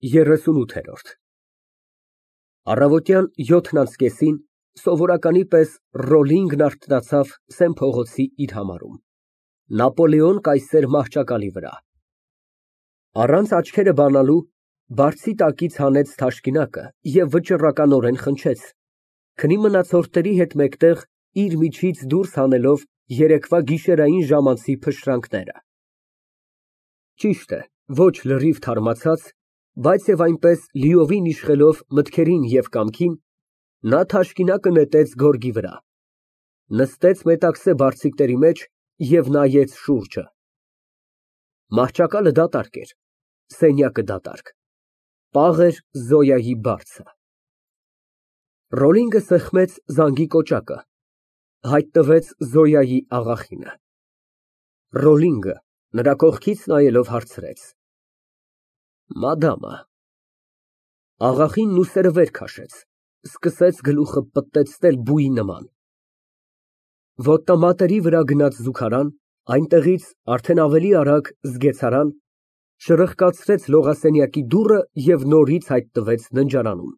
38 Առավոտյան 7:30-ին սովորականի պես Ռոլլինգն արթնացավ Սեն փողոցի իր համարում, Նապոլեոն կայսեր մահճակալի վրա։ Առանց աչքերը բանալու բարձի տակից հանեց թաշկինակը և վճռականորեն խնջեց, քնի մնացորդների հետ մեկտեղ իր միջից դուրս հանելով երեկվա գիշերային ժամանցի փշրանքները։ Ճիշտ է, ոչ լրիվ թարմացած, բայց և այնպես լիովին իշխելով մտքերին և կամքին, նա թաշկինակը նետեց գորգի վրա, նստեց մետաքսե բարձիկների մեջ և նայեց շուրջը։ Մահճակալը դատարկ էր, սենյակը դատարկ, պաղ էր Զոյայի բարձը։ Ռոլլինգը սեղմեց զանգի կոճակը, հայտնվեց Զոյայի աղախինը։ Ռոլլինգը, նրա կողքից նայելով, հարցրեց. Մադամը։ Աղախինն ուսերը վեր քաշեց, սկսեց գլուխը պտտեցնել բույի նման։ Ոտնամատերի վրա գնաց զուգարան, այնտեղից արդեն ավելի արագ զգեցարան, շրխկացրեց լողասենյակի դուռը և նորից հայտնվեց ննջարանում։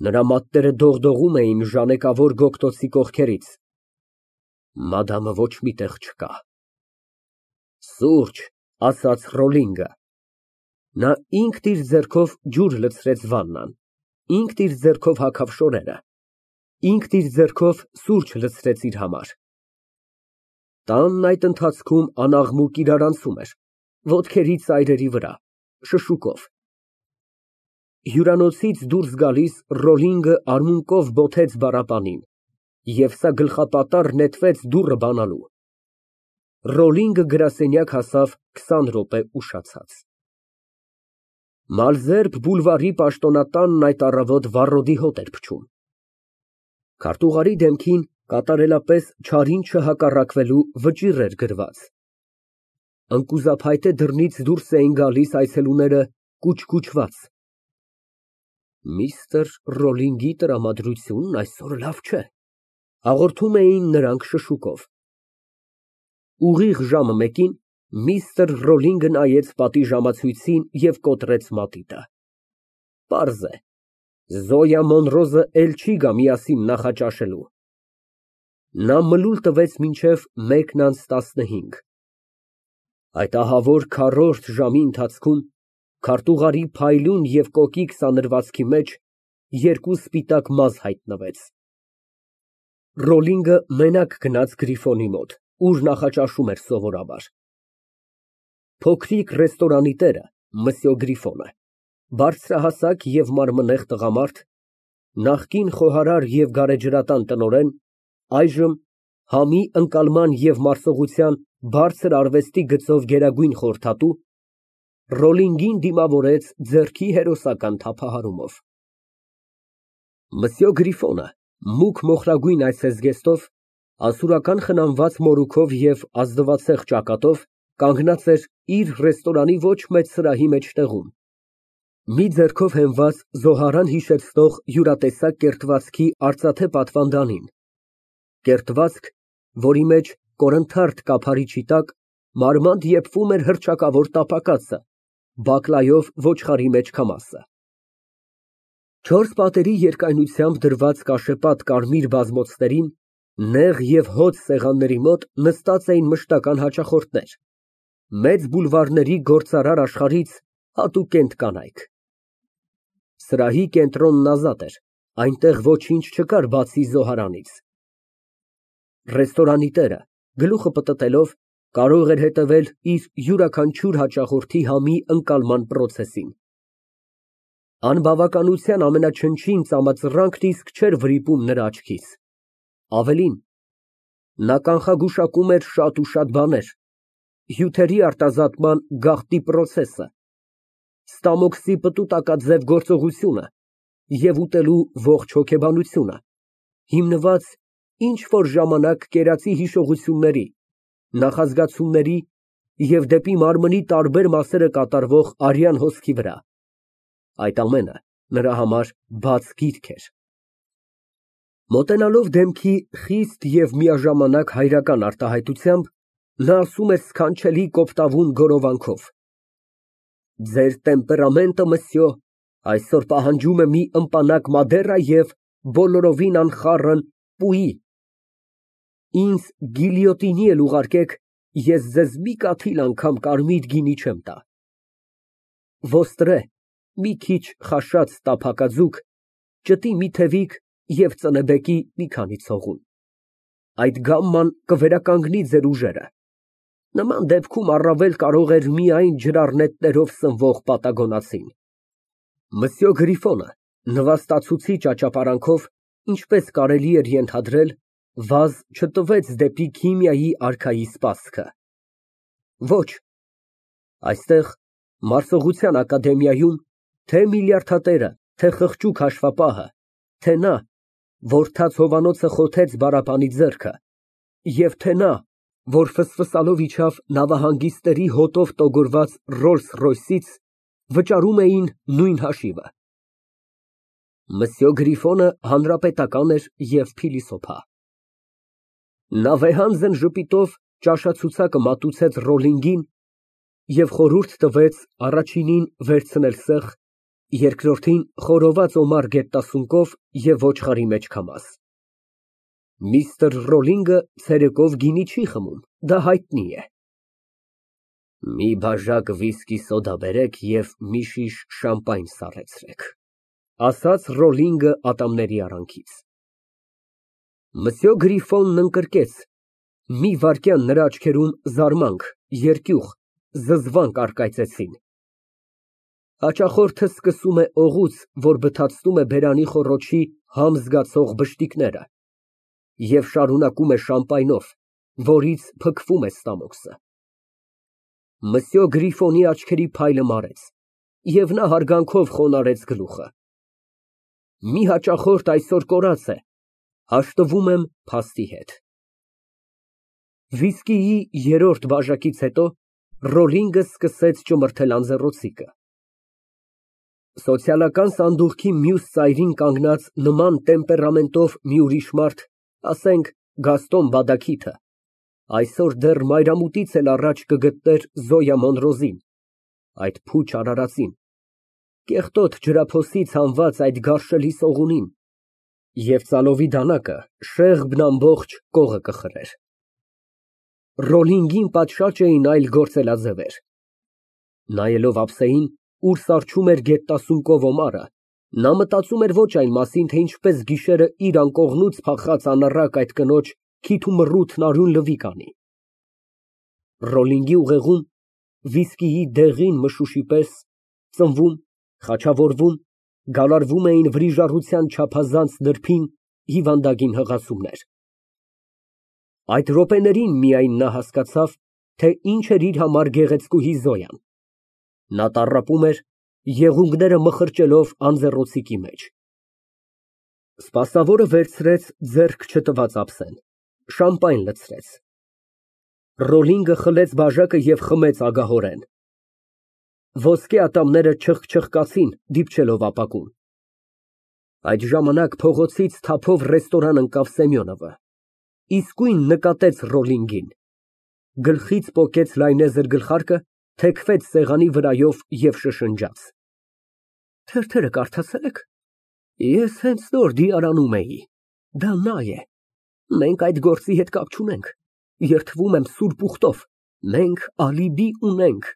Նրա մատները դողդողում էին ժանեկավոր գոգտոցի կողքերից։ Մադամը ոչ մի տեղ չկա։ Սուրճ, ասաց Ռոլլինգը։ Նա ինքն իր ձեռքով ջուր լցրեց վաննան, ինքն իր ձեռքով հագավ շորերը, ինքն իր ձեռքով սուրճ լցրեց իր համար։ Տանն այդ ընթացքում անաղմուկ իրարանցում էր, ոտքերի ծայրերի վրա, շշուկով։ Հյուրանոցից դուրս գալիս Ռոլլինգը արմունկով բոթեց բառապանին, և սա գլխապատառ նետվեց դուռը բանալու։ Ռոլլինգը գրասենյակ հասավ 20 րոպե ուշացած։ Մալզերբ բուլվարի պաշտոնատանն այդ առավոտ վառոդի հոտ էր փչում։ Քարտուղարի դեմքին կատարելապես չարին չհակառակվելու վճիռ էր գրված։ Ընկուզափայտե դռնից դուրս էին գալիս այցելուները կուչկուչված։ Միստր Ռոլլինգի տրամադրությունն այսօր լավ չէ, հաղորդում էին նրանք շշուկով։ Ուղիղ ժամը մեկին միստր Ռոլլինգը նայեց պատի ժամացույցին և կոտրեց մատիտը։ Պարզ է, Զոյա Մոնրոզը էլ չի գա միասին նախաճաշելու։ Նա մլուլ տվեց մինչև 1:15։ Այդ ահավոր քառորդ ժամի ընթացքում քարտուղարի փայլուն և կոկիկ սանրվածքի մեջ երկու սպիտակ մազ հայտնվեց։ Ռոլլինգը մենակ գնաց Գրիֆոնի մոտ, ուր նախաճաշում էր սովորաբար։ Փոքրիկ ռեստորանի տերը Մսյո Գրիֆոնը, բարձրահասակ և մարմնեղ տղամարդ, նախկին խոհարար և գարեջրատան տնօրեն, այժմ համի ընկալման և մարսողության բարձր արվեստի գծով գերագույն խորհրդատու, Ռոլլինգին դիմավորեց ձեռքի հերոսական թափահարումով։ Մսյո Գրիֆոնը, մուգ մոխրագույն այցեզգեստով, ասորական խնամված մորուքով և ազնվացեղ ճակատով, կանգնած էր իր ռեստորանի ոչ մեծ սրահի մեջտեղում, մի ձեռքով հենված զոհարան հիշեցնող յուրատեսակ կերտվածքի արծաթե պատվանդանին, կերտվածք, որի մեջ կորնթարդ կափարիչի տակ մարմանդ եփվում էր հռչակավոր տապակածը, բակլայով ոչխարի մեջքամասը։ Չորս պատերի երկայնությամբ դրված կաշեպատ կարմիր բազմոցներին, նեղ և հոծ սեղանների մոտ նստած էին մշտական հաճախորդներ, մեծ բուլվարների գործարար աշխարհից հատուկենտ կանայք։ Սրահի կենտրոնն ազատ էր, այնտեղ ոչինչ չկար բացի զոհարանից։ Ռեստորանի տերը, գլուխը պտտելով, կարող էր հետևել իր յուրաքանչյուր հաճախորդի համի ընկալման պրոցեսին։ Անբավականության ամենաչնչին ծամածռանքն իսկ չէր վրիպում նրա աչքից։ Ավելին, նա կանխագուշակում էր շատ ու շատ բաներ, հյութերի արտազատման գաղտնի պրոցեսը, ստամոքսի պտուտակաձև գործողությունը և ուտելու ողջ հոգեբանությունը, հիմնված ինչ֊որ ժամանակ կերածի հիշողությունների, նախազգացումների և դեպի մարմնի տարբեր մասերը կատարվող արյան հոսքի վրա։ Այդ ամենը նրա համար բաց գիրք էր։ Մոտենալով դեմքի խիստ և միաժամանակ հայրական արտահայտությամբ, նա ասում էր սքանչելի կոպտավուն գորովանքով. Ձեր տեմպերամենտը, մսյո, այսօր պահանջում է մի ըմպանակ Մադերա և բոլորովին անխառն պուի։ Ինձ գիլյոտինի էլ ուղարկեք, ես ձեզ մի կաթիլ անգամ կարմիր գինի չեմ տա։ Ոստրե, մի քիչ խաշած տափակաձուկ, ճտի մի թևիկ և ծնեբեկի մի քանի ցողուն։ Այդ գամման կվերականգնի ձեր ուժերը։ Նման դեպքում առավել կարող էր միայն ջրառնետներով սնվող պատագոնացին։ Մսյո Գրիֆոնը նվաստացուցիչ աճապարանքով, ինչպես կարելի էր ենթադրել, վազ չտվեց դեպի քիմիայի արքայի սպասքը։ Ոչ, այստեղ Մարսողության ակադեմիայում թե միլիարդատերը, թե խղճուկ հաշվապահը, թե նա, որ թաց հովանոցը խոթեց բառապանի ձեռքը, և թե նա, որ ֆսֆսալով իջավ նավահանգիստների հոտով տոգորված Ռոլս֊Ռոյսից, վճարում էին նույն հաշիվը։ Մսյո Գրիֆոնը հանրապետական էր և փիլիսոփա։ Նա վեհանձն ժպիտով ճաշացուցակը մատուցեց Ռոլլինգին և խորհուրդ տվեց առաջինին վերցնել սեղ, երկրորդին խորոված օմար գետտասունկով և ոչխարի մեջ քամած։ Միստր Ռոլլինգը ցերեկով գինի չի խմում, դա հայտնի է։ Մի բաժակ վիսկի սոդա բերեք և մի շիշ շամպայն սառեցրեք, ասաց Ռոլլինգը ատամների արանքից։ Մսյո Գրիֆոնն ընկրկեց, մի վայրկյան նրա աչքերում զարմանք, երկյուղ, զզվանք առկայծեցին։ Հաճախորդը սկսում է օղուց, որ բթացնում է բերանի խոռոչի համ զգացող բշտիկները, և շարունակում է շամպայնով, որից փքվում է ստամոքսը։ Մսյո Գրիֆոնի աչքերի փայլը մարեց, և նա հարգանքով խոնարհեց գլուխը։ Մի հաճախորդ այսօր կորած է, հաշտվում եմ փաստի հետ։ Վիսկիի երրորդ բաժակից հետո Ռոլլինգը սկսեց ճմրթել անձեռնոցիկը։ Սոցիալական սանդուղքի մյուս ծայրին կանգնած նման տեմպերամենտով մի ուրիշ մարդ, ասենք Գաստոն Բադաքիթը, այսօր դեռ մայրամուտից էլ առաջ կգտներ Զոյա Մոնրոզին, այդ փուչ արարածին, կեղտոտ ջրափոսից հանված այդ գարշելի սողունին, և ծալովի դանակը շեղբն ամբողջ կողը կխրեր։ Ռոլլինգին պատշաճ էին այլ գործելաձևեր։ Նայելով ափսեին, ուր սառչում էր գետտասունկով օմարը, նա մտածում էր ոչ այն մասին, թե ինչպես գիշերը իր անկողնուց փախած անառակ այդ կնոջ քիթ ու մռութն արյուն լվի կանի։ Ռոլլինգի ուղեղում վիսկիի դեղին մշուշի պես ծնվում, խաչավորվում, գալարվում էին վրիժառության չափազանց նրբին, հիվանդագին հղացումներ։ Այդ րոպեներին միայն նա հասկացավ, թե ինչ էր իր համար գեղեցկուհի Զոյան։ Նա տառապում էր, եղունգները մխրճելով անձեռնոցիկի մեջ։ Սպասավորը վերցրեց ձեռք չտված ափսեն, շամպայն լցրեց։ Ռոլլինգը խլեց բաժակը և խմեց ագահորեն։ Ոսկե ատամները չխչխկացին, դիպչելով ապակուն։ Այդ ժամանակ փողոցից թափով ռեստորան ընկավ Սեմյոնովը, իսկույն նկատեց Ռոլլինգին, գլխից պոկեց լայնեզր գլխարկը, թեքվեց սեղանի վրայով և շշնջաց. Թերթերը կարդացե՞լ եք։ Ես հենց նոր դիարանում էի, դա նա է, մենք այդ գործի հետ կապ չունենք, երդվում եմ սուրբ ուխտով, մենք ալիբի ունենք,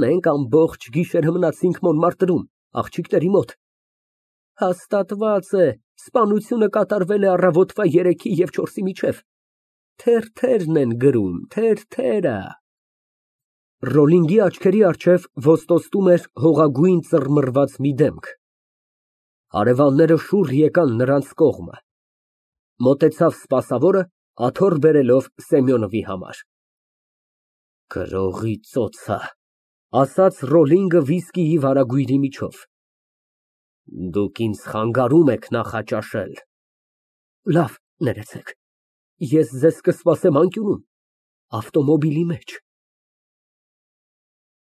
մենք ամբողջ գիշերը մնացինք Մոնմարտրում, աղջիկների մոտ։ Հաստատված է, սպանությունը կատարվել է առավոտվա 3-ի և 4-ի միջև, թերթերն են գրում, թերթերը։ Ռոլլինգի աչքերի առջև ոստոսում էր հողագույն ծռմռված մի դեմք։ Հարևանները շուռ եկան նրանց կողմը։ Մոտեցավ սպասավորը, աթոռ բերելով Սեմյոնովի համար։ Գրողի ծոցը, ասաց Ռոլլինգը վիսկիի վարագույրի միջով։ Դուք ինձ խանգարում եք նախաճաշել։ Լավ, ներեցեք, ես ձեզ կսպասեմ անկյունում, ավտոմոբիլի մեջ։